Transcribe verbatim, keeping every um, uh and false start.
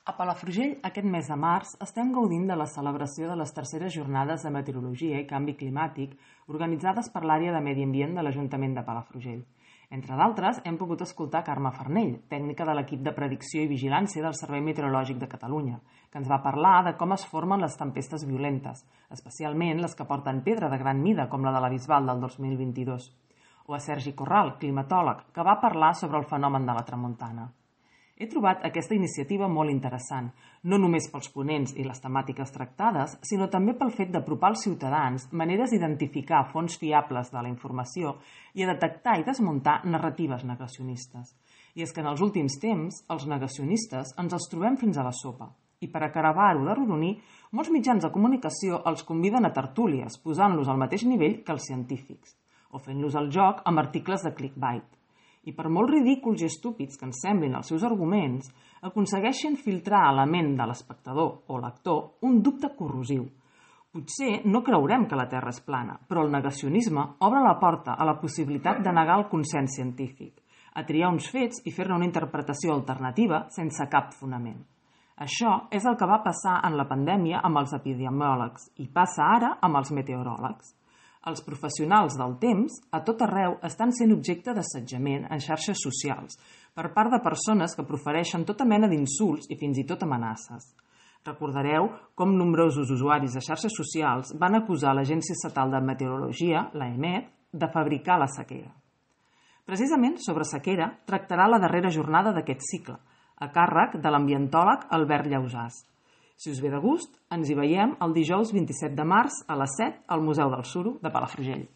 A Palafrugell, aquest mes de març, estem gaudint de la celebració de les terceres jornades de meteorologia i canvi climàtic organitzades per l'àrea de medi ambient de l'Ajuntament de Palafrugell. Entre d'altres, hem pogut escoltar Carme Farnell, tècnica de l'equip de predicció i vigilància del Servei Meteorològic de Catalunya, que ens va parlar de com es formen les tempestes violentes, especialment les que porten pedra de gran mida, com la de la Bisbal del dos mil vint-i-dos. O a Sergi Corral, climatòleg, que va parlar sobre el fenomen de la tramuntana. He trobat aquesta iniciativa molt interessant, no només pels ponents i les temàtiques tractades, sinó també pel fet d'apropar als ciutadans maneres d'identificar fonts fiables de la informació i a detectar i desmuntar narratives negacionistes. I és que en els últims temps, els negacionistes ens els trobem fins a la sopa. I per acabar-ho de rodonir, molts mitjans de comunicació els conviden a tertúlies, posant-los al mateix nivell que els científics, o fent-los el joc amb articles de clickbait. I per molt ridículs i estúpids que ens semblin els seus arguments, aconsegueixen filtrar a la ment de l'espectador o lector un dubte corrosiu. Potser no creurem que la Terra és plana, però el negacionisme obre la porta a la possibilitat de negar el consens científic, a triar uns fets i fer-ne una interpretació alternativa sense cap fonament. Això és el que va passar en la pandèmia amb els epidemiòlegs i passa ara amb els meteoròlegs. Els professionals del temps, a tot arreu, estan sent objecte d'assetjament en xarxes socials per part de persones que profereixen tota mena d'insults i fins i tot amenaces. Recordareu com nombrosos usuaris de xarxes socials van acusar l'Agència Estatal de Meteorologia, l'A E M E T, de fabricar la sequera. Precisament sobre sequera tractarà la darrera jornada d'aquest cicle, a càrrec de l'ambientòleg Albert Llausàs. Si us ve de gust, ens hi veiem el dijous vint-i-set de març a les set al Museu del Suro de Palafrugell.